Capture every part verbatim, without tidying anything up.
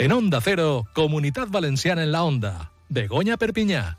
En Onda Cero, Comunidad Valenciana en la Onda. Begoña Perpiñá.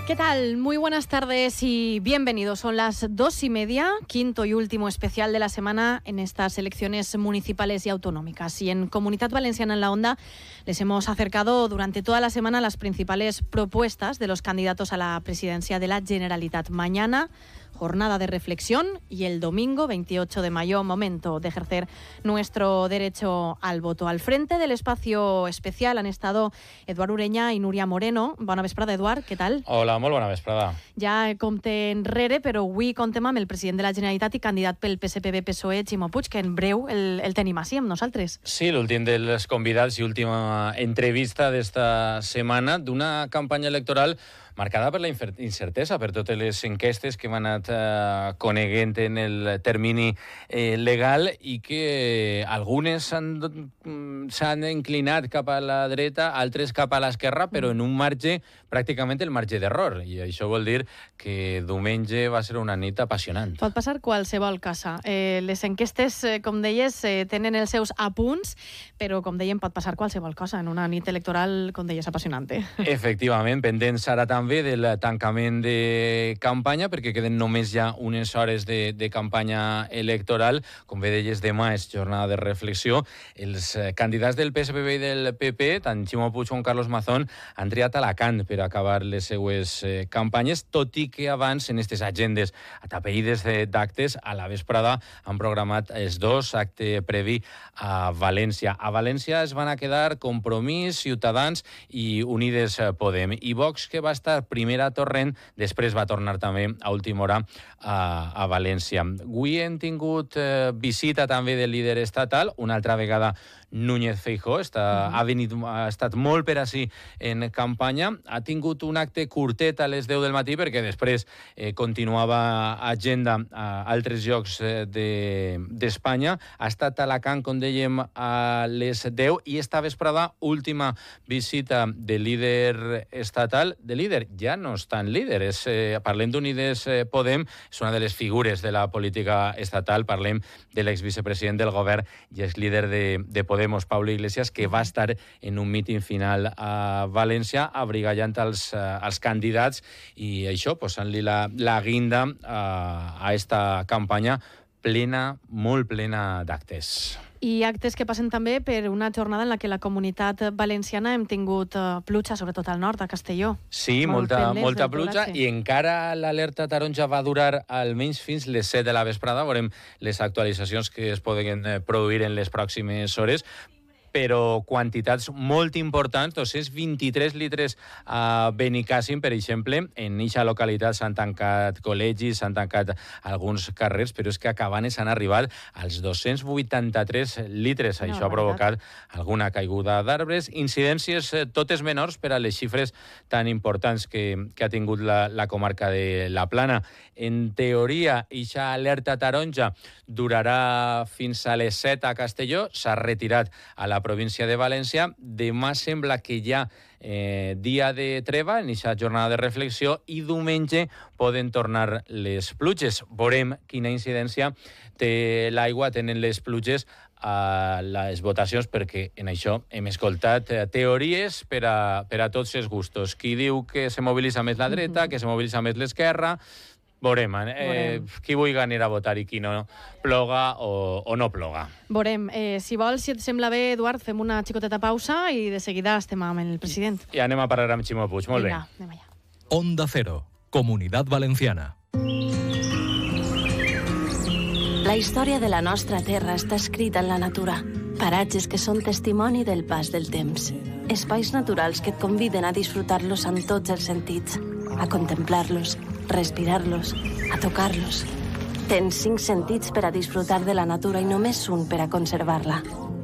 ¿Qué tal? Muy buenas tardes y bienvenidos. Son las dos y media, quinto y último especial de la semana en estas elecciones municipales y autonómicas. Y en Comunidad Valenciana en la Onda les hemos acercado durante toda la semana las principales propuestas de los candidatos a la presidencia de la Generalitat. Mañana, jornada de reflexión, y el domingo veintiocho de mayo, momento de ejercer nuestro derecho al voto. Al frente del espacio especial han estado Eduard Ureña y Núria Moreno. Bona vesprada, Eduard, què tal? Hola, molt bona vesprada. Ja compte enrere, però avui contem amb el president de la Generalitat i candidat pel P S P B P S O E, Ximo Puig, que en breu el, el tenim així amb nosaltres. Sí, l'últim dels convidats i última entrevista d'esta setmana d'una campanya electoral marcada per la incertesa, per totes les enquestes que hem anat eh, coneguent en el termini eh, legal i que algunes s'han inclinat cap a la dreta, altres cap a l'esquerra, però en un marge, pràcticament el marge d'error. I això vol dir que diumenge va ser una nit apassionant. Pot passar qualsevol cosa. Eh, les enquestes, eh, com deies, eh, tenen els seus apunts, però, com dèiem, pot passar qualsevol cosa en una nit electoral, com deies, apassionant. Efectivament, pendents ara també del tancament de campanya, perquè queden només ja unes hores de, de campanya electoral. Com bé deies, demà és jornada de reflexió. Els candidats del P S P B i del P P, tant Ximo Puig com Carlos Mazón, han triat Alacant per acabar les seues eh, campanyes, tot i que abans, en aquestes agendes atapeïdes d'actes, a la vesprada han programat els dos actes previ a València. A València es van a quedar Compromís, Ciutadans i Unides Podem. I Vox, que va estar primer a Torrent, després va tornar també a última hora a, a València. Avui hem tingut eh, visita també del líder estatal, una altra vegada Núñez Feijóo, està, uh-huh. ha, venit, ha estat molt per ací en campanya, ha tingut un acte curtet a les deu del matí perquè després eh, continuava agenda a altres llocs eh, d'Espanya, de, ha estat a Alacant, com dèiem, a les deu, i esta vesprada, última visita del líder estatal, de líder, ja no és tan líder, és, eh, parlem d'Unides eh, Podem, és una de les figures de la política estatal, parlem de l'exvicepresident del govern i és líder de, de Podemos, Pablo Iglesias, que va estar en un míting final a València abrigallant els, uh, els candidats, i això, posant-li la, la guinda uh, a esta campanya plena, molt plena d'actes. I actes que passen també per una jornada en la que la comunitat valenciana hem tingut uh, pluja, sobretot al nord, a Castelló. Sí, Molt molta, molta pluja, i encara l'alerta taronja va durar almenys fins les set de la vesprada. Veurem les actualitzacions que es poden produir en les pròximes hores, però quantitats molt importants, dos cents vint-i-tres litres a Benicàssim, per exemple. En aquesta localitat s'han tancat col·legis, s'han tancat alguns carrers, però és que a Cabanes han arribat als dos-cents vuitanta-tres litres. No, això ha provocat alguna caiguda d'arbres, incidències totes menors per a les xifres tan importants que, que ha tingut la, la comarca de la Plana. En teoria, aquesta alerta taronja durarà fins a les set a Castelló, s'ha retirat a la província de València. Demà sembla que hi ha eh, dia de treva en aquesta jornada de reflexió, i diumenge poden tornar les pluges. Veurem quina incidència té l'aigua, tenen les pluges a les votacions, perquè en això hem escoltat eh, teories per a, per a tots els gustos. Qui diu que se mobilitza més la dreta, mm-hmm. que se mobilitza més l'esquerra. Veurem, eh, qui vulgui anar a votar i qui no ploga o, o no ploga. Veurem. Eh, si vols, si et sembla bé, Eduard, fem una xicoteta pausa i de seguida estem amb el president. I anem a parlar amb Ximo Puig. Molt Vinga, bé. Anem allà. Onda Cero, Comunidad Valenciana. La història de la nostra terra està escrita en la natura. Paratges que són testimoni del pas del temps. Espais naturals que et conviden a disfrutar-los amb tots els sentits, a contemplar-los, respirar-los, a tocar-los. Tens cinc sentits per a disfrutar de la natura i només un per a conservar-la.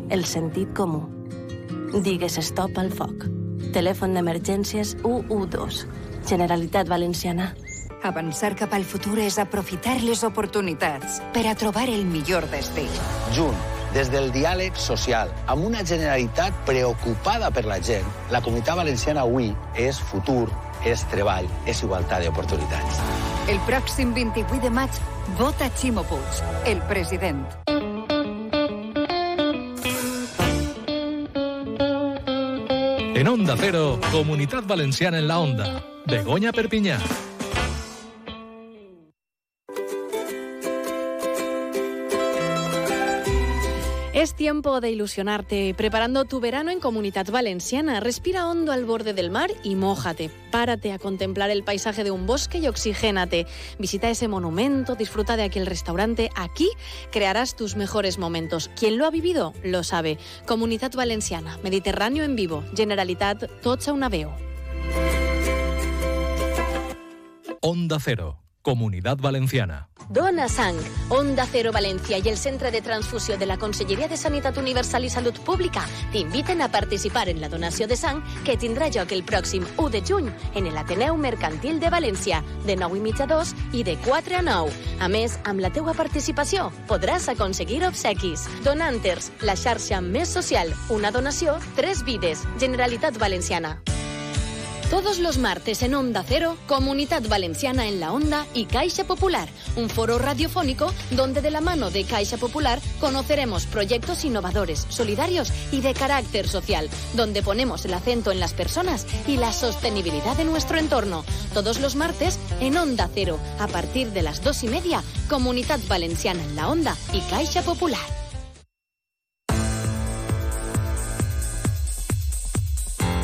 El sentit comú. Digues stop al foc. Telèfon d'emergències u u dos. Generalitat Valenciana. Avançar cap al futur és aprofitar les oportunitats per a trobar el millor destí. Junt, des del diàleg social, amb una Generalitat preocupada per la gent, la Comunitat Valenciana avui és futur, és treball, és igualtat d'oportunitats. El pròxim vint-i-vuit de maig, vota Ximo Puig, el president. En Onda Cero, Comunidad Valenciana en la Onda. Begoña Perpiñá. Es tiempo de ilusionarte, preparando tu verano en Comunidad Valenciana. Respira hondo al borde del mar y mójate. Párate a contemplar el paisaje de un bosque y oxigénate. Visita ese monumento, disfruta de aquel restaurante. Aquí crearás tus mejores momentos. Quien lo ha vivido, lo sabe. Comunidad Valenciana, Mediterráneo en vivo, Generalitat, tots a una veu. Onda Cero, Comunidad Valenciana. Dona Sang, Onda Cero Valencia y el Centre de Transfusió de la Conselleria de Sanitat Universal i Salut Pública t'inviten a participar en la donació de sang que tindrà lloc el pròxim u de juny en l'Ateneu Mercantil de València, de nou i mitja a dos i de quatre a nou. A més, amb la teua participació podràs aconseguir obsequis. Donanters, la xarxa més social, una donació, tres vides. Generalitat Valenciana. Todos los martes en Onda Cero, Comunidad Valenciana en la Onda y Caixa Popular, un foro radiofónico donde de la mano de Caixa Popular conoceremos proyectos innovadores, solidarios y de carácter social, donde ponemos el acento en las personas y la sostenibilidad de nuestro entorno. Todos los martes en Onda Cero, a partir de las dos y media, Comunidad Valenciana en la Onda y Caixa Popular.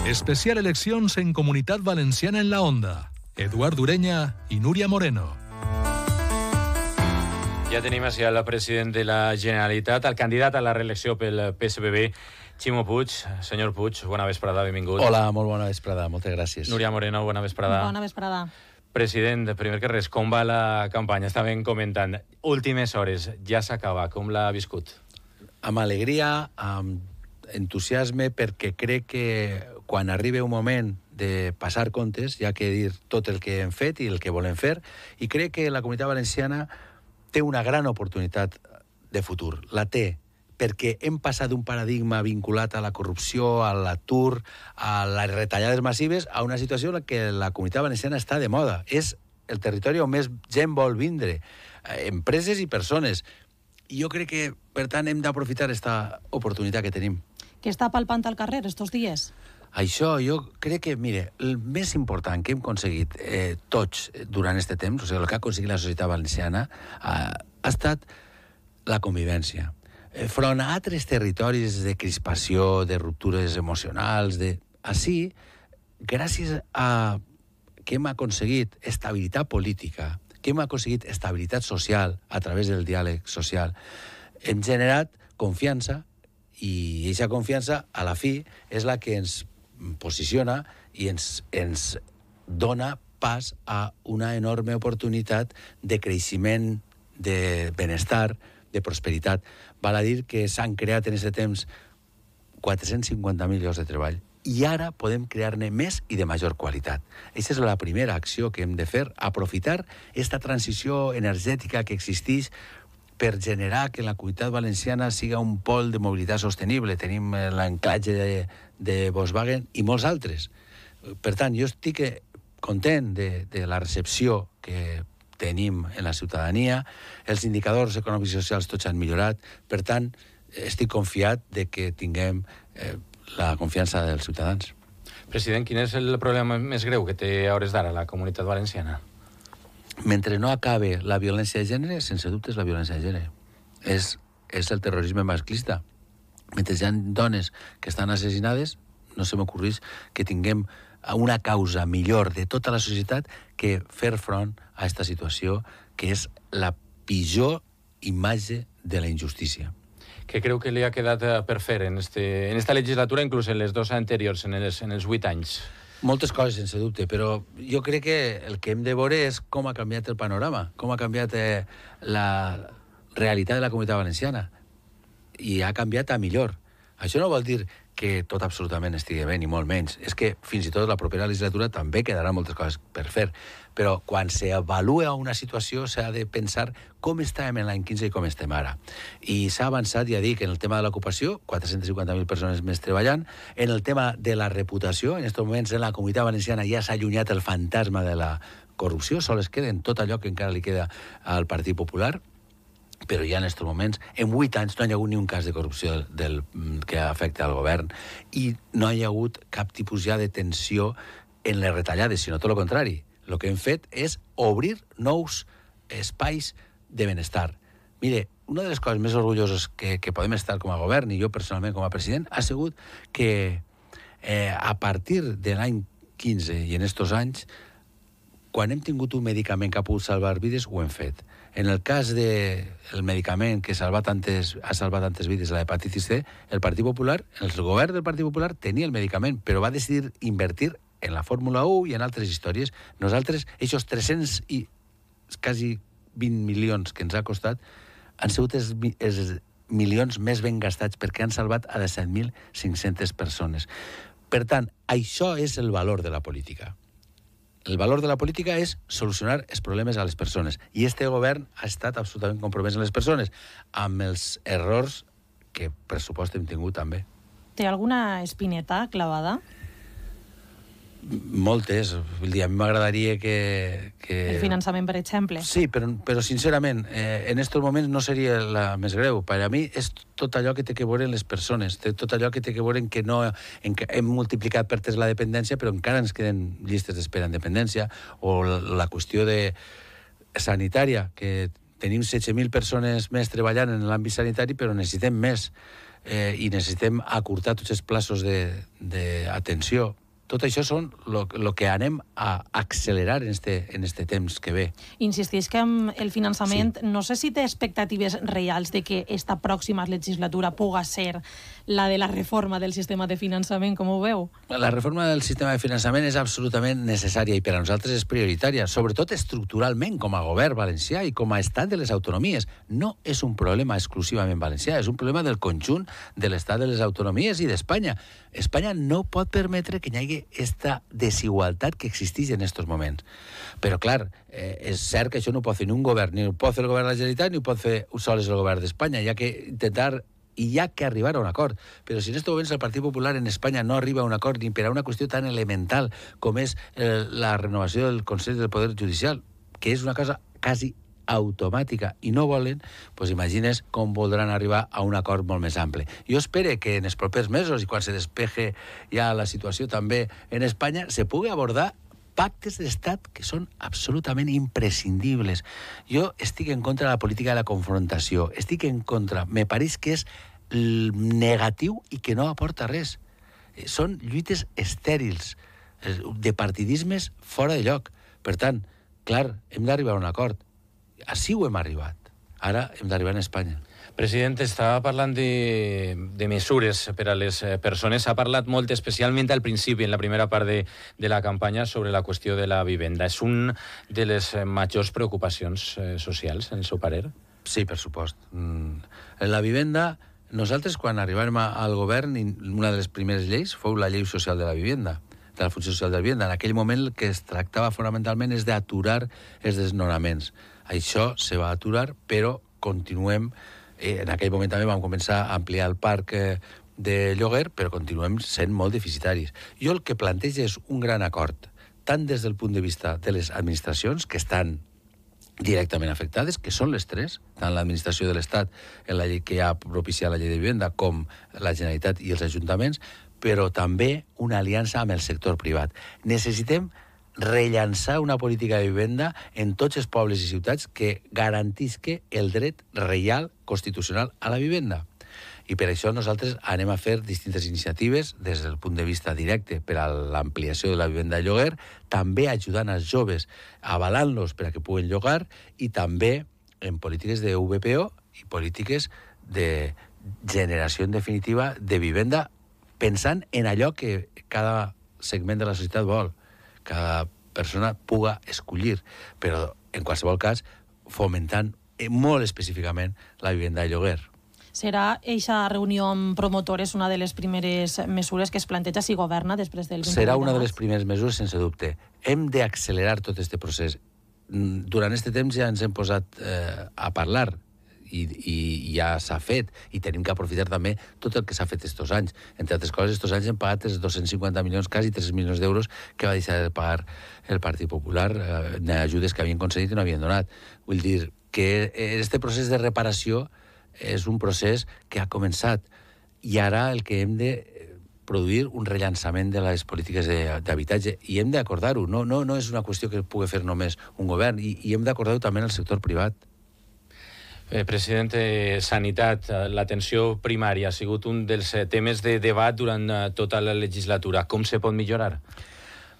Especial eleccions en Comunitat Valenciana en la Onda. Eduard Ureña i Núria Moreno. Ja tenim així el president de la Generalitat, el candidat a la reelecció pel P S B B, Ximo Puig. Senyor Puig, bona vesprada, benvingut. Hola, molt bona vesprada, moltes gràcies. Núria Moreno, bona vesprada. Bona vesprada. President, primer que res, com va la campanya? Estàvem comentant. Últimes hores, ja s'acaba. Com l'ha viscut? Amb alegria, amb entusiasme, perquè crec que quan arribi un moment de passar comptes, hi ha que dir tot el que hem fet i el que volem fer, i crec que la Comunitat Valenciana té una gran oportunitat de futur. La té, perquè hem passat d'un paradigma vinculat a la corrupció, a l'atur, a les retallades massives, a una situació en què la Comunitat Valenciana està de moda. És el territori on més gent vol vindre, empreses i persones. I jo crec que, per tant, hem d'aprofitar aquesta oportunitat que tenim. Què està palpant al carrer estos dies? Això, jo crec que, mire, el més important que hem aconseguit eh, tots durant aquest temps, o sigui, el que ha aconseguit la societat valenciana, ha, ha estat la convivència. Eh, front a altres territoris de crispació, de ruptures emocionals, de... Així, gràcies a que hem aconseguit estabilitat política, que hem aconseguit estabilitat social a través del diàleg social, hem generat confiança, i aquesta confiança, a la fi, és la que ens posiciona i ens, ens dona pas a una enorme oportunitat de creixement, de benestar, de prosperitat. Val a dir que s'han creat en aquest temps quatre-cents cinquanta mil llocs de treball i ara podem crear-ne més i de major qualitat. Aquesta és la primera acció que hem de fer, aprofitar aquesta transició energètica que existeix per generar que la Comunitat Valenciana siga un pol de mobilitat sostenible. Tenim l'anclatge de, de Volkswagen i molts altres. Per tant, jo estic content de, de la recepció que tenim en la ciutadania. Els indicadors econòmics i socials tots han millorat. Per tant, estic confiat de que tinguem eh, la confiança dels ciutadans. President, quin és el problema més greu que té a hores d'ara la Comunitat Valenciana? Mentre no acabe la violència de gènere, sense dubte és la violència de gènere. És, és el terrorisme masclista. Mentre hi ha dones que estan assassinades, no se m'ocorreix que tinguem una causa millor de tota la societat que fer front a aquesta situació, que és la pitjor imatge de la injustícia. Què creu que li ha quedat per fer en, este, en esta legislatura, inclús en les dues anteriors, en els, en els vuit anys? Moltes coses, sense dubte, però jo crec que el que hem de veure és com ha canviat el panorama, com ha canviat eh, la realitat de la Comunitat Valenciana. I ha canviat a millor. Això no vol dir que tot absolutament estigui bé, ni molt menys. És que fins i tot la propera legislatura també quedaran moltes coses per fer. Però quan s'avalua una situació s'ha de pensar com estàvem en l'any quinze i com estem ara. I s'ha avançat, ja dic, en el tema de l'ocupació, quatre-cents cinquanta mil persones més treballant, en el tema de la reputació, en aquests moments en la Comunitat Valenciana ja s'ha allunyat el fantasma de la corrupció, sols queda en tot allò que encara li queda al Partit Popular, però ja en aquests moments, en vuit anys no hi ha hagut ni un cas de corrupció del, que afecta al govern i no hi ha hagut cap tipus ja de tensió en les retallades, sinó tot el contrari. El que hem fet és obrir nous espais de benestar. Mire, una de les coses més orgulloses que, que podem estar com a govern, i jo personalment com a president, ha sigut que eh, a partir de l'any quinze i en estos anys, quan hem tingut un medicament que ha pogut salvar vides, ho hem fet. En el cas del de medicament que salva tantes, ha salvat tantes vides, la hepatitis C, el Partit Popular, el govern del Partit Popular tenia el medicament, però va decidir invertir en la Fórmula u i en altres històries. Nosaltres, aquests tres-cents i quasi vint milions que ens ha costat, han sigut els, els milions més ben gastats perquè han salvat a disset mil cinc-centes persones. Per tant, això és el valor de la política. El valor de la política és solucionar els problemes a les persones. I este govern ha estat absolutament compromès en les persones, amb els errors que, per supost, hem tingut també. Té alguna espineta clavada? Moltes. Vull dir, a mi m'agradaria que, que... El finançament, per exemple. Sí, però, però sincerament, eh, en aquests moments no seria la més greu. Per a mi és tot allò que té que veure en les persones, tot allò que té que veure en que no en que hem multiplicat per tres la dependència, però encara ens queden llistes d'espera en dependència, o la, la qüestió de sanitària, que tenim setze mil persones més treballant en l'àmbit sanitari, però necessitem més, eh, i necessitem acurtar tots els plaços d'atenció. Tot això són el que anem a accelerar en este, en este temps que ve. Insisteix que amb el finançament, sí. No sé si té expectatives reals de que esta pròxima legislatura puga ser la de la reforma del sistema de finançament, com ho veu? La reforma del sistema de finançament és absolutament necessària i per a nosaltres és prioritària, sobretot estructuralment com a govern valencià i com a estat de les autonomies. No és un problema exclusivament valencià, és un problema del conjunt de l'estat de les autonomies i d'Espanya. Espanya no pot permetre que hi hagi esta desigualtat que existeix en aquests moments. Però, clar, eh, és cert que això no ho pot fer ni un govern, ni ho pot fer el govern de la Generalitat, ni ho pot fer sols el govern d'Espanya. Hi ha que intentar i hi ha que arribar a un acord. Però si en aquests moments el Partit Popular en Espanya no arriba a un acord ni per a una qüestió tan elemental com és eh, la renovació del Consell del Poder Judicial, que és una cosa quasi automàtica, i no volen, doncs imagines com voldran arribar a un acord molt més ample. Jo espero que en els propers mesos, i quan se despeje ja la situació també en Espanya, se pugui abordar pactes d'estat que són absolutament imprescindibles. Jo estic en contra de la política de la confrontació, estic en contra, me pareix que és negatiu i que no aporta res. Són lluites estèrils, de partidismes fora de lloc. Per tant, clar, hem d'arribar a un acord. Així ho hem arribat. Ara hem d'arribar a Espanya. President, estava parlant de, de mesures per a les persones. S'ha parlat molt, especialment al principi, en la primera part de, de la campanya, sobre la qüestió de la vivenda. És una de les majors preocupacions eh, socials, en el seu parer? Sí, per supost. Mm. La vivenda, nosaltres, quan arribàvem al govern, una de les primeres lleis fou la llei social de la vivenda, de la funció social de la vivenda. En aquell moment el que es tractava fonamentalment és d'aturar els desnonaments. Això se va aturar, però continuem, eh, en aquell moment també vam començar a ampliar el parc eh, de lloguer, però continuem sent molt deficitaris. Jo el que plantejo és un gran acord, tant des del punt de vista de les administracions, que estan directament afectades, que són les tres, tant l'administració de l'Estat, en la llei que ha propiciat la llei de vivenda, com la Generalitat i els ajuntaments, però també una aliança amb el sector privat. Necessitem rellançar una política de vivenda en tots els pobles i ciutats que garantisca el dret reial constitucional a la vivenda. I per això nosaltres anem a fer distintes iniciatives des del punt de vista directe per a l'ampliació de la vivenda de lloguer, també ajudant els joves, avalant-los per a que puguen llogar, i també en polítiques de V P O i polítiques de generació en definitiva de vivenda, pensant en allò que cada segment de la societat vol, cada persona puga escollir, però en qualsevol cas fomentant molt específicament la vivenda de lloguer. Serà eixa reunió amb promotores una de les primeres mesures que es planteja si governa després del vint vuit de Serà una de maig? les primeres mesures, sense dubte. Hem d'accelerar tot aquest procés. Durant aquest temps ja ens hem posat eh, a parlar i, i ja s'ha fet, i tenim que aprofitar també tot el que s'ha fet estos anys. Entre altres coses, estos anys hem pagat els dos-cents cinquanta milions, quasi tres milions d'euros que va deixar de pagar el Partit Popular, eh, ajudes que havien concedit i no havien donat. Vull dir, que este procés de reparació és un procés que ha començat i ara el que hem de produir un rellançament de les polítiques d'habitatge i hem d'acordar-ho, no, no, no és una qüestió que pugui fer només un govern i, i hem d'acordar-ho també en el sector privat. Eh, president, eh, sanitat, l'atenció primària ha sigut un dels temes de debat durant tota la legislatura. Com se pot millorar?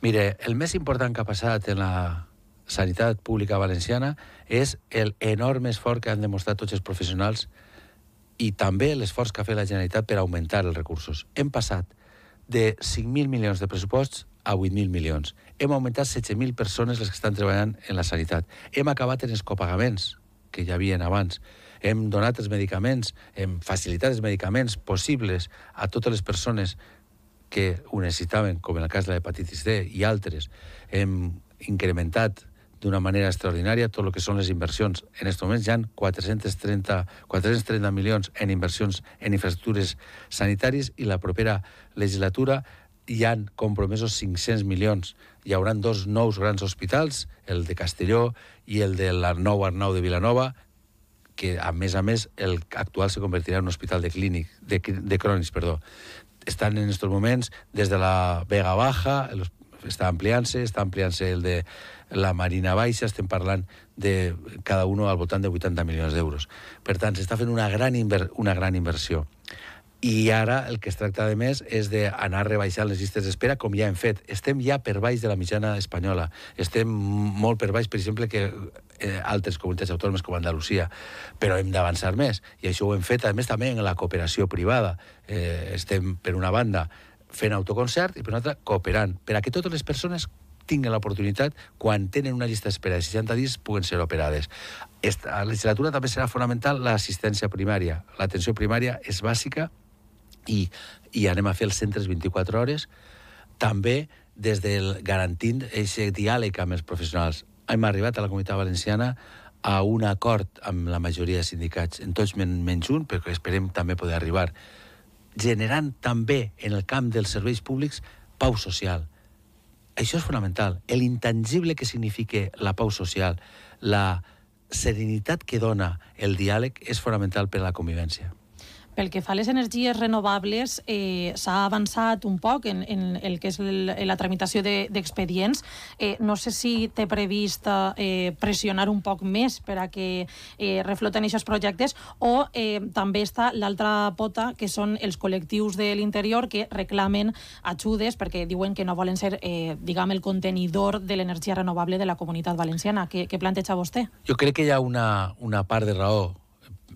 Mire, el més important que ha passat en la sanitat pública valenciana és el enorme esforç que han demostrat tots els professionals i també l'esforç que ha fet la Generalitat per augmentar els recursos. Hem passat de cinc mil milions de pressuposts a vuit mil milions. Hem augmentat setze mil persones les que estan treballant en la sanitat. Hem acabat en els copagaments que hi havia abans. Hem donat els medicaments, hem facilitat els medicaments possibles a totes les persones que ho necessitaven, com en el cas de l'hepatitis D i altres. Hem incrementat d'una manera extraordinària tot el que són les inversions. En aquests moments hi ha quatre-cents trenta milions en inversions en infraestructures sanitàries i la propera legislatura hi han compromesos cinc-cents milions. Hi haurà dos nous grans hospitals, el de Castelló i el de l'Arnau Arnau de Vilanova, que a més a més el actual se convertirà en un hospital de clínic, de, de crònics, perdó. Estan en aquests moments des de la Vega Baja, està ampliant-se, està ampliant-se el de la Marina Baixa, estem parlant de cada un al voltant de vuitanta milions d'euros. Per tant, s'està fent una gran, inver una gran inversió. I ara el que es tracta de més és d'anar rebaixant les llistes d'espera, com ja hem fet. Estem ja per baix de la mitjana espanyola. Estem molt per baix, per exemple, que eh, altres comunitats autònomes com Andalusia. Però hem d'avançar més. I això ho hem fet, a més, també en la cooperació privada. Eh, estem, per una banda, fent autoconcert i, per una altra, cooperant. Per a que totes les persones tinguin l'oportunitat, quan tenen una llista d'espera de seixanta dies, puguen ser operades. Esta legislatura també serà fonamental l'assistència primària. L'atenció primària és bàsica i, i anem a fer els centres vint-i-quatre hores, també des del garantint aquest diàleg amb els professionals. Hem arribat a la Comunitat Valenciana a un acord amb la majoria de sindicats, en tots men menys un, perquè esperem també poder arribar, generant també en el camp dels serveis públics pau social. Això és fonamental. L'intangible que significa la pau social, la serenitat que dona el diàleg és fonamental per a la convivència. Pel que fa a les energies renovables, eh, s'ha avançat un poc en, en el que és el, la tramitació d'expedients. De, eh, no sé si té previst eh, pressionar un poc més per a que eh, refloten aquests projectes o eh, també està l'altra pota, que són els col·lectius de l'interior que reclamen ajudes perquè diuen que no volen ser, eh, diguem, el contenidor de l'energia renovable de la Comunitat Valenciana. Què, què planteja vostè? Jo crec que hi ha una, una part de raó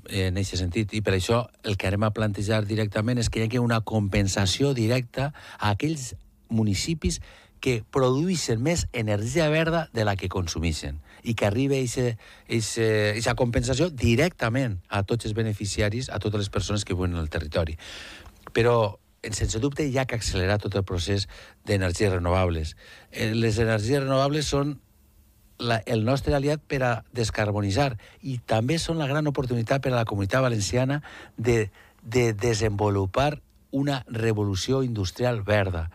en aquest sentit, i per això el que anem a plantejar directament és que hi hagi una compensació directa a aquells municipis que produeixen més energia verda de la que consumeixen i que arribi aquesta compensació directament a tots els beneficiaris, a totes les persones que viuen en el territori. Però sense dubte hi ha que accelerar tot el procés d'energies renovables. Les energies renovables són La, el nostre aliat per a descarbonitzar i també són la gran oportunitat per a la Comunitat Valenciana de, de desenvolupar una revolució industrial verda.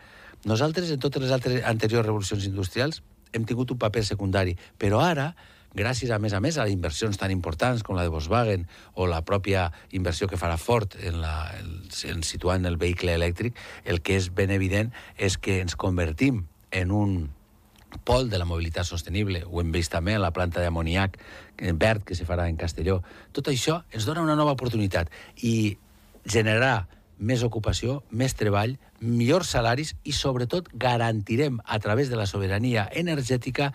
Nosaltres, en totes les altres anteriors revolucions industrials, hem tingut un paper secundari, però ara, gràcies a més a més a inversions tan importants com la de Volkswagen o la pròpia inversió que farà Ford en, la, en, en situant el vehicle elèctric, el que és ben evident és que ens convertim en un pol de la mobilitat sostenible. Ho hem vist també a la planta d'amoniac verd que se farà en Castelló. Tot això ens dona una nova oportunitat i generarà més ocupació, més treball, millors salaris i, sobretot, garantirem a través de la sobirania energètica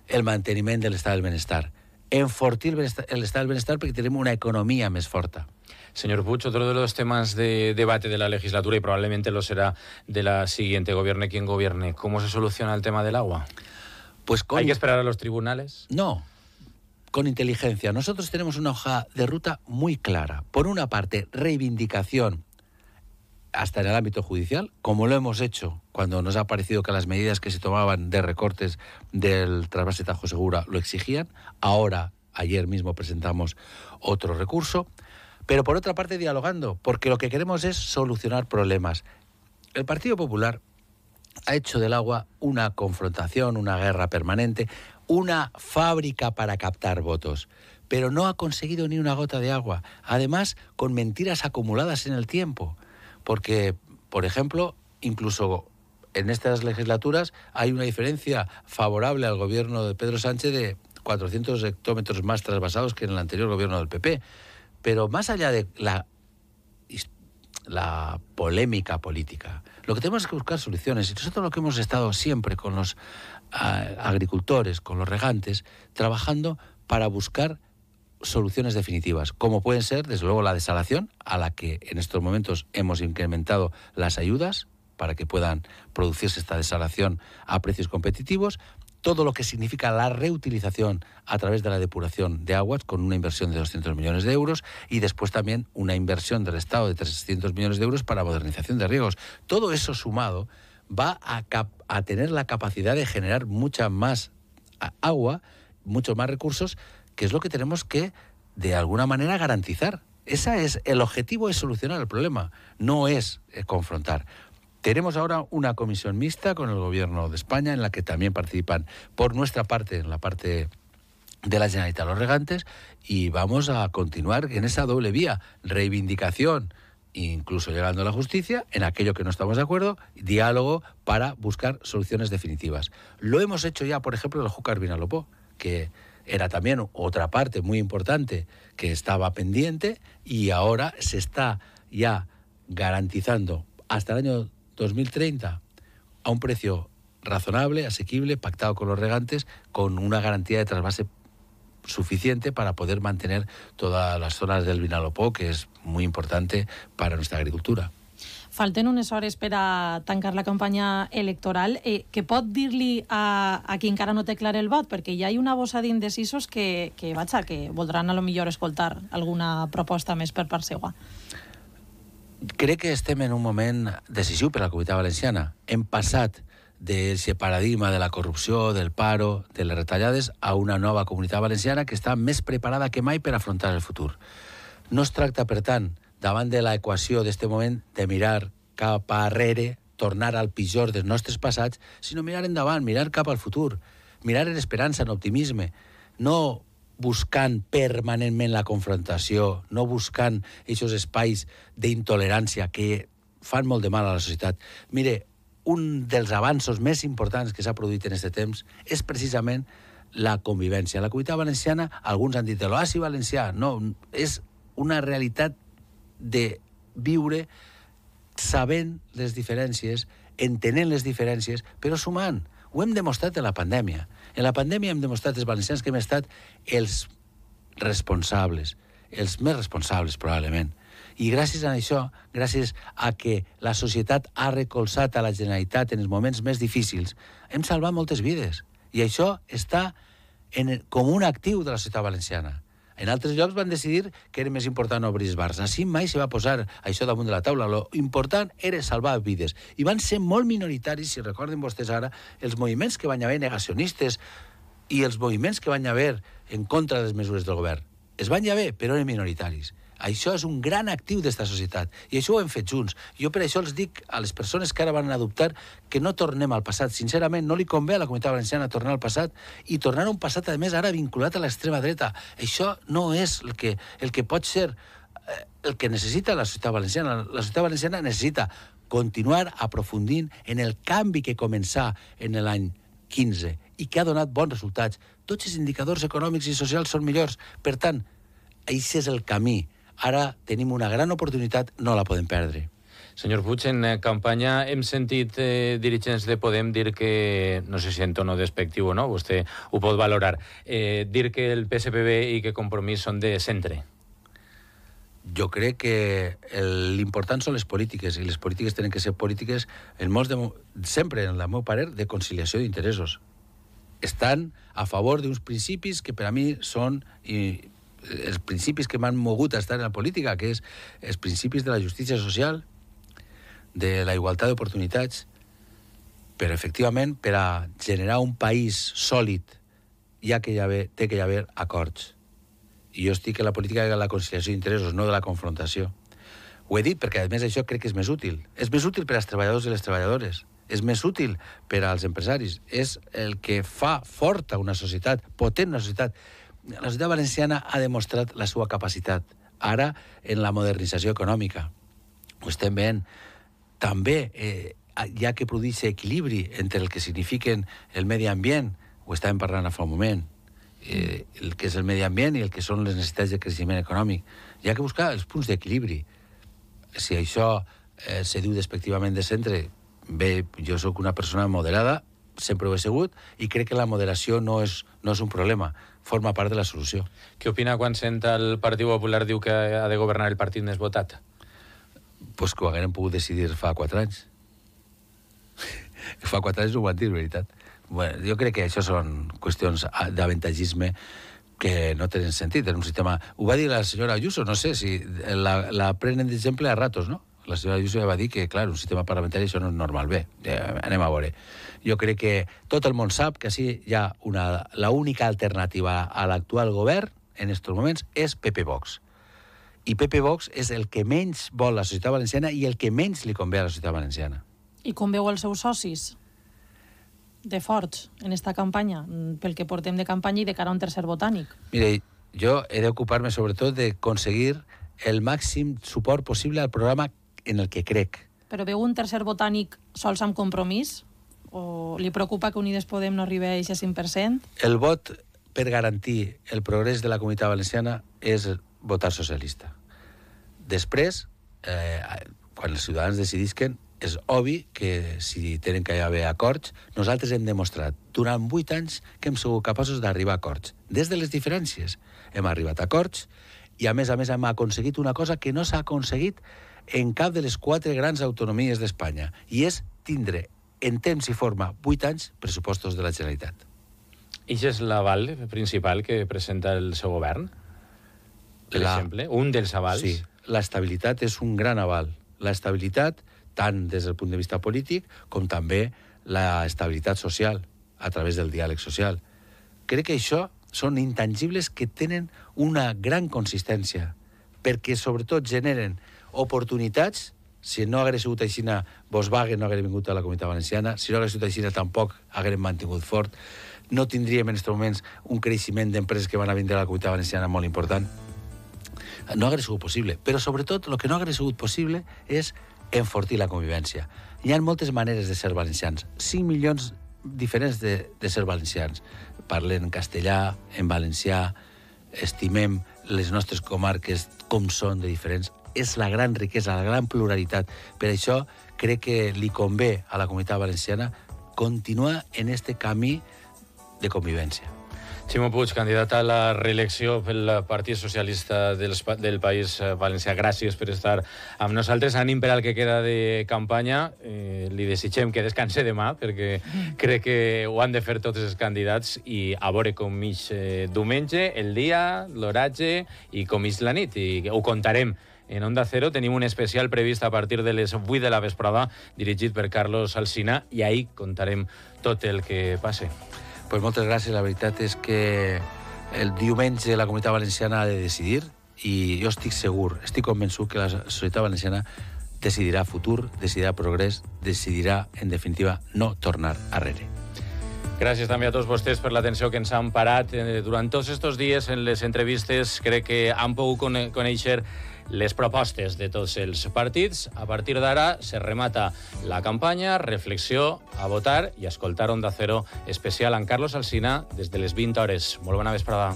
el manteniment de l'estat del benestar. Enfortir l'estat del benestar perquè tenim una economía més forta. Señor Puig, otro de los temas de debate de la legislatura, y probablemente lo será de la siguiente, gobierne quien gobierne, ¿cómo se soluciona el tema del agua? Pues con... ¿Hay que esperar a los tribunales? No, con inteligencia. Nosotros tenemos una hoja de ruta muy clara. Por una parte, reivindicación hasta en el ámbito judicial, como lo hemos hecho cuando nos ha parecido que las medidas que se tomaban de recortes del trasvase Tajo Segura lo exigían. Ahora, ayer mismo presentamos otro recurso. Pero por otra parte dialogando, porque lo que queremos es solucionar problemas. El Partido Popular ha hecho del agua una confrontación, una guerra permanente, una fábrica para captar votos. pero no ha conseguido ni una gota de agua. Además, con mentiras acumuladas en el tiempo. Porque, por ejemplo, incluso en estas legislaturas hay una diferencia favorable al gobierno de Pedro Sánchez de cuatrocientos hectómetros más trasvasados que en el anterior gobierno del P P. Pero más allá de la, la polémica política, lo que tenemos es que buscar soluciones. Y nosotros lo que hemos estado siempre con los a, agricultores, con los regantes, trabajando para buscar soluciones definitivas, como pueden ser, desde luego, la desalación, a la que en estos momentos hemos incrementado las ayudas para que puedan producirse esta desalación a precios competitivos, todo lo que significa la reutilización a través de la depuración de aguas con una inversión de doscientos millones de euros y después también una inversión del Estado de trescientos millones de euros para modernización de riegos. Todo eso sumado va a, cap- a tener la capacidad de generar mucha más agua, muchos más recursos, que es lo que tenemos que, de alguna manera, garantizar. Ese es el objetivo, es solucionar el problema, no es eh, confrontar. Tenemos ahora una comisión mixta con el Gobierno de España en la que también participan por nuestra parte, en la parte de la Generalitat, los regantes, y vamos a continuar en esa doble vía, reivindicación, incluso llegando a la justicia, en aquello que no estamos de acuerdo, diálogo para buscar soluciones definitivas. Lo hemos hecho ya, por ejemplo, en el Júcar Vinalopó, que era también otra parte muy importante que estaba pendiente y ahora se está ya garantizando hasta el año dos mil treinta a un precio razonable, asequible, pactado con los regantes, con una garantía de trasvase suficiente para poder mantener todas las zonas del Vinalopó, que es muy importante para nuestra agricultura. Falten unes hores per a tancar la campanya electoral. Eh, què pot dir-li a, a qui encara no té clar el vot? Perquè ja hi ha una bossa d'indecisos que, que, vaja, que voldran a lo millor escoltar alguna proposta més per part seva. Crec que estem en un moment decisiu per a la Comunitat Valenciana. Hem passat d'aquest paradigma de la corrupció, del paro, de les retallades, a una nova Comunitat Valenciana que està més preparada que mai per afrontar el futur. No es tracta, per tant, davant de l'equació d'este moment, de mirar cap arrere, tornar al pitjor dels nostres passats, sinó mirar endavant, mirar cap al futur, mirar en esperança, en optimisme, no buscant permanentment la confrontació, no buscant aquests espais d'intolerància que fan molt de mal a la societat. Mire, un dels avanços més importants que s'ha produït en aquest temps és precisament la convivència. La Comunitat Valenciana, alguns han dit l'oasi valencià, no, és una realitat de viure sabent les diferències, entenent les diferències, però sumant. Ho hem demostrat en la pandèmia. En la pandèmia hem demostrat els valencians que hem estat els responsables, els més responsables probablement. I gràcies a això, gràcies a que la societat ha recolzat a la Generalitat en els moments més difícils, hem salvat moltes vides. I això està en, com un actiu de la societat valenciana. En altres llocs van decidir que era més important obrir els bars. Així mai se va posar això damunt de la taula. Lo important era salvar vides. I van ser molt minoritaris, si recorden vostès ara, els moviments que van haver negacionistes i els moviments que van haver en contra de les mesures del govern. Es van haver, però eren minoritaris. Això és un gran actiu d'esta societat i això ho hem fet junts. Jo per això els dic a les persones que ara van adoptar que no tornem al passat. Sincerament, no li convé a la Comunitat Valenciana tornar al passat i tornar a un passat, a més, ara vinculat a l'extrema dreta. Això no és el que, el que pot ser el que necessita la societat valenciana. La societat valenciana necessita continuar aprofundint en el canvi que començà en l'any quinze i que ha donat bons resultats. Tots els indicadors econòmics i socials són millors. Per tant, això és el camí. Ara tenim una gran oportunitat, no la podem perdre. Senyor Puig, en campanya hem sentit eh, dirigents de Podem dir que, no sé si en tono despectiu o no, vostè ho pot valorar, eh, dir que el P S P B i que Compromís són de centre. Jo crec que l'important són les polítiques, i les polítiques tenen que ser polítiques, en molts de, sempre, en el meu parer, de conciliació d'interessos. Estan a favor d'uns principis que per a mi són... I, els principis que m'han mogut a estar en la política, que és els principis de la justícia social, de la igualtat d'oportunitats, però efectivament per a generar un país sòlid hi ha que hi haver, té que hi haver acords. I jo estic en la política de la conciliació d'interessos, no de la confrontació. Ho he dit perquè a més això crec que és més útil. És més útil per als treballadors i les treballadores. És més útil per als empresaris. És el que fa forta una societat, potent una societat. la societat valenciana ha demostrat la seva capacitat. Ara, en la modernització econòmica, ho estem veient. També eh, hi ha que produir equilibri entre el que signifiquen el medi ambient, ho estàvem parlant fa un moment, eh, el que és el medi ambient i el que són les necessitats de creixement econòmic. Hi ha que buscar els punts d'equilibri. Si això eh, se diu despectivament de centre, bé, jo sóc una persona moderada, sempre ho he sigut, i crec que la moderació no és, no és un problema, forma part de la solució. Què opina quan sent el Partit Popular diu que ha de governar el partit més votat? Pues que ho haguem pogut decidir fa quatre anys. Fa quatre anys ho van dir, veritat. Bueno, jo crec que això són qüestions d'avantatgisme que no tenen sentit en un sistema... Ho va dir la senyora Ayuso, no sé si la, la prenen d'exemple a ratos, no? La senyora Ayuso ja va dir que, clar, un sistema parlamentari això no és normal. Bé, ja, anem a veure. Jo crec que tot el món sap que així hi ha una... La única alternativa a l'actual govern, en aquests moments, és P P Vox. I P P Vox és el que menys vol la societat valenciana i el que menys li convé a la societat valenciana. I com veu els seus socis de forts en esta campanya, pel que portem de campanya i de cara a un tercer botànic? Mire, jo he d'ocupar-me sobretot d'aconseguir el màxim suport possible al programa en el que crec. Però veu un tercer botànic sols amb compromís? O li preocupa que Unides Podem no arribi a aquest cinc per cent? El vot per garantir el progrés de la comunitat valenciana és votar socialista. Després, eh, quan els ciutadans decidisquen, és obvi que si tenen que haver acords, nosaltres hem demostrat durant vuit anys que hem sigut capaços d'arribar a acords. Des de les diferències hem arribat a acords i, a més a més, hem aconseguit una cosa que no s'ha aconseguit en cap de les quatre grans autonomies d'Espanya, i és tindre en temps i forma vuit anys pressupostos de la Generalitat. I és l'aval principal que presenta el seu govern? Per la... exemple, un dels avals? Sí, l'estabilitat és un gran aval. L'estabilitat, tant des del punt de vista polític com també l'estabilitat social a través del diàleg social. Crec que això són intangibles que tenen una gran consistència, perquè sobretot generen oportunitats. Si no hagués sigut així, Volkswagen no hagués vingut a la Comunitat Valenciana, si no hagués sigut així, tampoc hagués mantingut fort, no tindríem en aquests moments un creixement d'empreses que van a vindre a la Comunitat Valenciana molt important. No hagués sigut possible, però sobretot el que no hagués sigut possible és enfortir la convivència. Hi ha moltes maneres de ser valencians, cinc milions diferents de, de ser valencians. Parlen en castellà, en valencià, estimem les nostres comarques com són de diferents. És la gran riquesa, la gran pluralitat. Per això crec que li convé a la comunitat valenciana continuar en este camí de convivència. Ximo Puig, candidat a la reelecció pel Partit Socialista del, del País Valencià. Gràcies per estar amb nosaltres. Ànim per al que queda de campanya. Eh, li desitgem que descanse demà, perquè crec que ho han de fer tots els candidats, i a veure com ix eh, diumenge, el dia, l'oratge i com ix la nit. I ho contarem. En Onda Cero tenim un especial previst a partir de les vuit de la vesprada, dirigit per Carlos Alsina, i ahir contarem tot el que passe. Pues moltes gràcies. La veritat és que el diumenge la Comunitat Valenciana ha de decidir, i jo estic segur, estic convençut que la societat valenciana decidirà futur, decidirà progrés, decidirà, en definitiva, no tornar arrere. Gràcies també a tots vostès per l'atenció que ens han parat durant tots aquests dies en les entrevistes. Crec que han pogut conèixer les propostes de tots els partits. A partir d'ara se remata la campanya, reflexió, a votar i a escoltar Onda Cero especial amb Carlos Alsina des de les vint hores. Molt bona vesprada.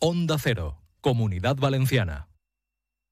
Onda Cero, Comunidad Valenciana.